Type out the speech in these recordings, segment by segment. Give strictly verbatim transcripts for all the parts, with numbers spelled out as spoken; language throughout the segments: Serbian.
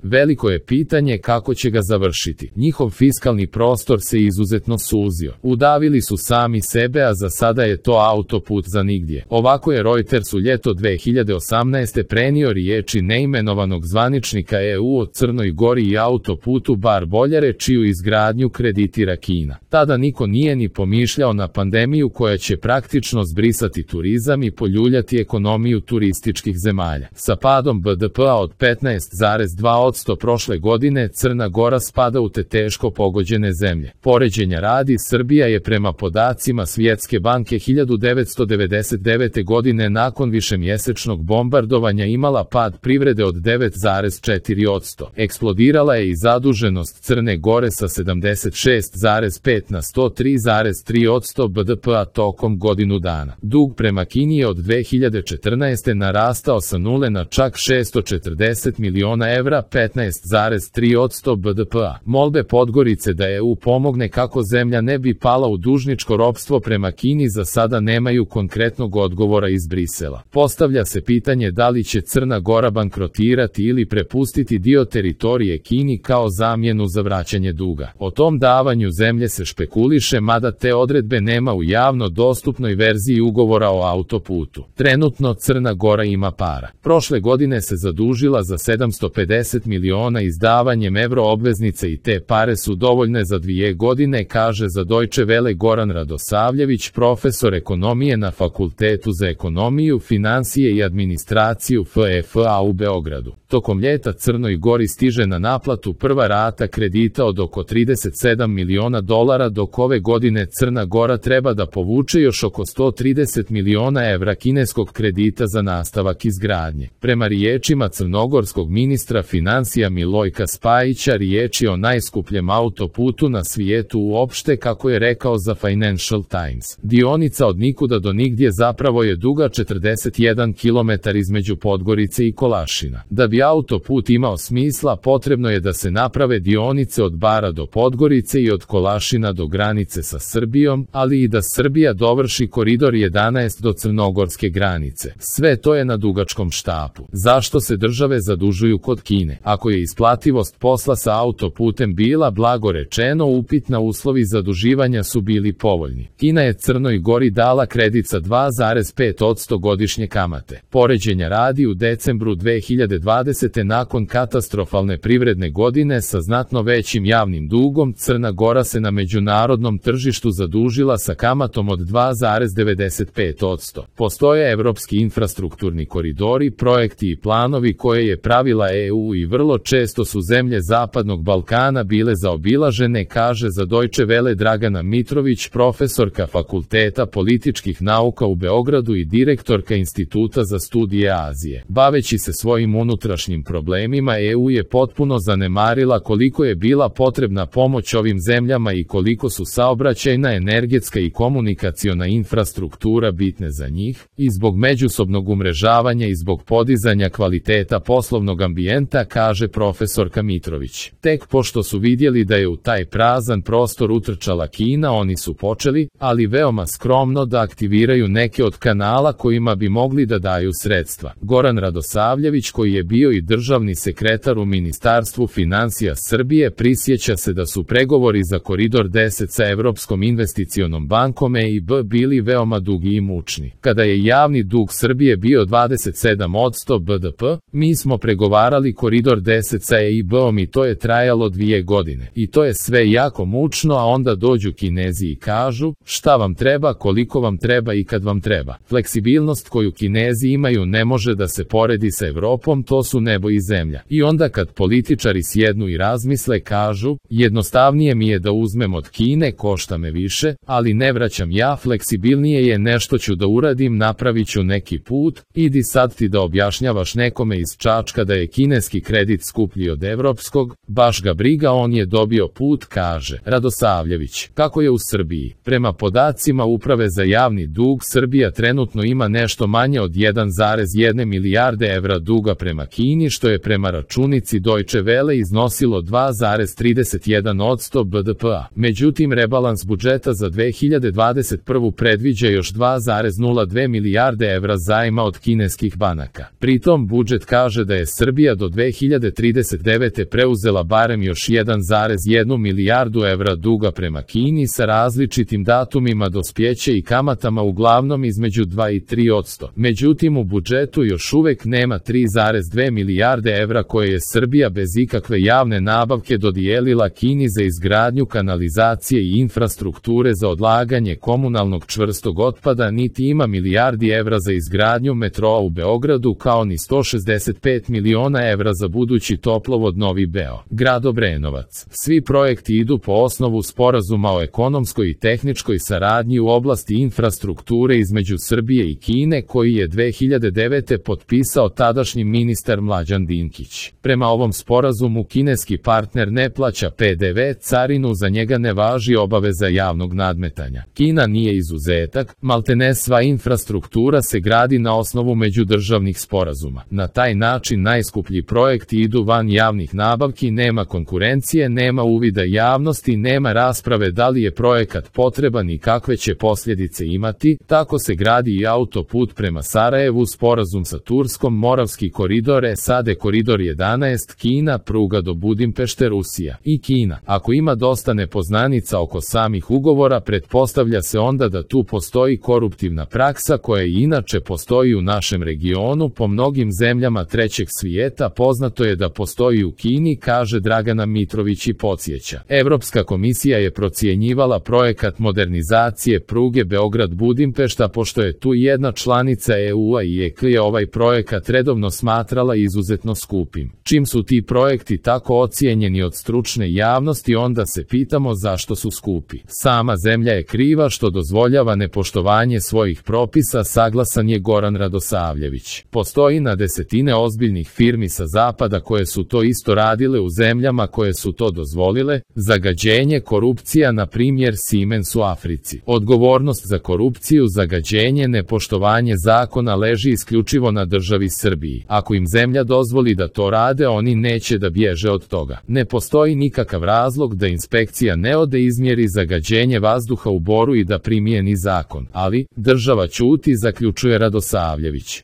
Veliko je pitanje kako će ga završiti. Njihov fiskalni prostor se izuzetno suzio. Udavili su sami sebe, a za sada je to autoput za nigdje. Ovako je Reuters u ljeto dve hiljade osamnaeste prenio riječi neimenovanog zvaničnika E U o Crnoj Gori i autoputu Bar-Boljare, čiju izgradnju kreditira Kina. Tada niko nije ni pomišljao na pandemiju koja će praktično zbrisati turizam i poljuljati ekonomiju turističkih zemalja. Sa padom B D P-a od petnaest zarez dva posto prošle godine Crna Gora spada u te teško pogođene zemlje. Poređenja radi, Srbija je prema podacima Svjetske banke hiljadu devetsto devedeset devete. godine nakon višemjesečnog bombardovanja imala pad privrede od devet zarez četiri posto. Eksplodirala je i zaduženost Crne Gore sa sedamdeset šest zarez pet na sto tri zarez tri posto B D P-a tokom godinu dana. Dug prema Kini je od dve hiljade četrnaeste. narastao sa nule na čak šesto četrdeset miliona evra, petnaest zarez tri posto B D P-a. Molbe Podgorice da E U pomogne kako zemlja ne bi pala u dužničko ropstvo prema Kini za sada nemaju konkretnog odgovora iz Brisela. Postavlja se pitanje da li će Crna Gora bankrotirati ili prepustiti dio teritorije Kini kao zamjenu za vraćanje duga. O tom davanju zemlje se špekuliše, mada te odredbe nema u javno dostupnoj verziji ugovora o autoputu. Trenutno Crna Gora ima para. Prošle godine se zadužila za sedamsto pedeset miliona izdavanjem evroobveznice i te pare su dovoljne za dvije godine, kaže za Deutsche Welle Goran Radosavljević, profesor ekonomije na Fakultetu za ekonomiju, financije i administraciju F E F A u Beogradu. Tokom ljeta Crnoj Gori stiže na naplatu prva rata kredita od oko trideset sedam miliona dolara, dok ove godine Crna Gora treba da povuče još oko sto trideset miliona evra kineskog kredita za nastavak izgradnje. Prema riječima crnogorskog ministra financija Milojka Spajića, riječ je o najskupljem autoputu na svijetu uopšte, kako je rekao za Financial Times. Dionica od nikuda do nigdje zapravo je duga četrdeset jedan kilometar između Podgorice i Kolašina. Da bi autoput imao smisla, potrebno je da se naprave dionice od Bara do Podgorice i od Kolašina do granice sa Srbijom, ali i da Srbija dovrši koridor jedanaest do crnogorske granice. Sve to je na dugačkom štapu. Zašto se države zadužuju kod Kine? Ako je isplativost posla sa autoputem bila, blago rečeno, upitna, uslovi zaduživanja su bili povoljni. Kina je Crnoj Gori dala kredit sa dva zarez pet posto godišnje kamate. Poređenja radi, u decembru dve hiljade dvadesete. nakon katastrofalne privredne godine sa znatno većim javnim dugom, Crna Gora se na međunarodnom tržištu zadužila sa kamatom od dva zarez devedeset pet posto. Postoje evropski infrastrukturni koridori, projekti i planovi koje je pravila E U i vrlo često su zemlje Zapadnog Balkana bile zaobilažene, kaže za Deutsche Welle Dragana Mitrović, profesorka Fakulteta političkih nauka u Beogradu i direktorka Instituta za studije Azije. Baveći se svojim unutrašnjim problemima, E U je potpuno zanemarila koliko je bila potrebna pomoć ovim zemljama i koliko su saobraćajna, energetska i komunikaciona infrastruktura bitne za njih, i zbog međusobnog umrežavanja i zbog podizanja kvaliteta poslovnog ambijenta, kaže profesorka Mitrović. Tek pošto su vidjeli da je u taj prazan prostor utrčala Kina, oni su počeli, ali veoma skromno, da aktiviraju neke od kanala kojima bi mogli da daju sredstva. Goran Radosavljević, koji je bio i državni sekretar u Ministarstvu financija Srbije, prisjeća se da su pregovori za Koridor deset sa Evropskom investicionom bankom E I B bili veoma dugi i mučni. Kada je javni dug Srbije bio dvadeset sedam posto B D P, mi smo pregovarali Koridor deset sa E I B-om i to je trajalo dvije godine. I to je sve jako mučno, a onda dođu Kinezi i kažu šta vam treba, koliko vam treba i kad vam treba. Fleksibilnost koju Kinezi imaju ne može da se poredi sa Evropom, to su nebo i zemlja. I onda kad političari sjednu i razmisle, kažu jednostavnije mi je da uzmem od Kine, košta me više, ali ne vraćam ja, fleksibilnije je, nešto ću da uradim, napravit ću neki put, idi sad ti da objašnjavaš nekome iz Čačka da je kineski kredit skuplji od evropskog, baš ga briga, on je dobio put, kaže Radosavljević. Kako je u Srbiji? Prema podacima Uprave za javni dug, Srbija trenutno ima nešto manje od jedan zarez jedna milijarde evra duga prema Kini, što je prema računici Deutsche Welle iznosilo dva zarez trideset jedan posto B D P-a. Međutim, rebalans budžeta za dve hiljade dvadeset prvu predviđa još dva zarez nula dve milijarde evra zajma od kineskih banaka. Pritom budžet kaže da je Srbija do dve hiljade hiljade trideset devete preuzela barem još jedan zarez jedan milijardu evra duga prema Kini sa različitim datumima dospjeća i kamatama uglavnom između dva i tri posto. Međutim, u budžetu još uvek nema tri zarez dve milijarde evra koje je Srbija bez ikakve javne nabavke dodijelila Kini za izgradnju kanalizacije i infrastrukture za odlaganje komunalnog čvrstog otpada, niti ima milijardi evra za izgradnju metroa u Beogradu, kao ni sto šezdeset pet miliona evra za budući toplovod Novi Beo, grad Obrenovac. Svi projekti idu po osnovu sporazuma o ekonomskoj i tehničkoj saradnji u oblasti infrastrukture između Srbije i Kine, koji je dve hiljade devete potpisao tadašnji ministar Mlađan Dinkić. Prema ovom sporazumu kineski partner ne plaća pe de ve, carinu, za njega ne važi obaveza javnog nadmetanja. Kina nije izuzetak, maltene sva infrastruktura se gradi na osnovu međudržavnih sporazuma. Na taj način najskuplji projekti idu van javnih nabavki, nema konkurencije, nema uvida javnosti, nema rasprave da li je projekat potreban i kakve će posljedice imati. Tako se gradi i autoput prema Sarajevu, sporazum sa Turskom, Moravski koridor, S A D koridor jedanaest, Kina, pruga do Budimpešte, Rusija i Kina. Ako ima dosta nepoznanica oko samih ugovora, pretpostavlja se onda da tu postoji koruptivna praksa koja i inače postoji u našem regionu po mnogim zemljama trećeg svijeta. Poznato je da postoji u Kini, kaže Dragana Mitrović i podsjeća. Evropska komisija je procjenjivala projekat modernizacije pruge Beograd-Budimpešta, pošto je tu jedna članica e u-a i E K je ovaj projekat redovno smatrala izuzetno skupim. Čim su ti projekti tako ocijenjeni od stručne javnosti, onda se pitamo zašto su skupi. Sama zemlja je kriva što dozvoljava nepoštovanje svojih propisa, saglasan je Goran Radosavljević. Postoji na desetine ozbiljnih firmi sa zapada koje su to isto radile u zemljama koje su to dozvolile. Zagađenje, korupcija, na primjer Siemens u Africi. Odgovornost za korupciju, zagađenje, nepoštovanje zakona leži isključivo na državi Srbiji. Ako im zemlja dozvoli da to rade, oni neće da bježe od toga. Ne postoji nikakav razlog da inspekcija ne ode izmjeri zagađenje vazduha u Boru i da primijeni zakon, ali država ćuti, zaključuje Radosavljević.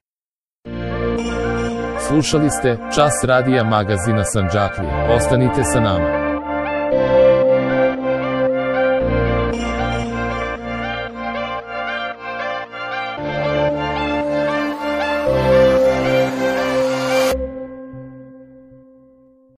Slušali ste Čas radija magazina Sandžaklija. Ostanite sa nama.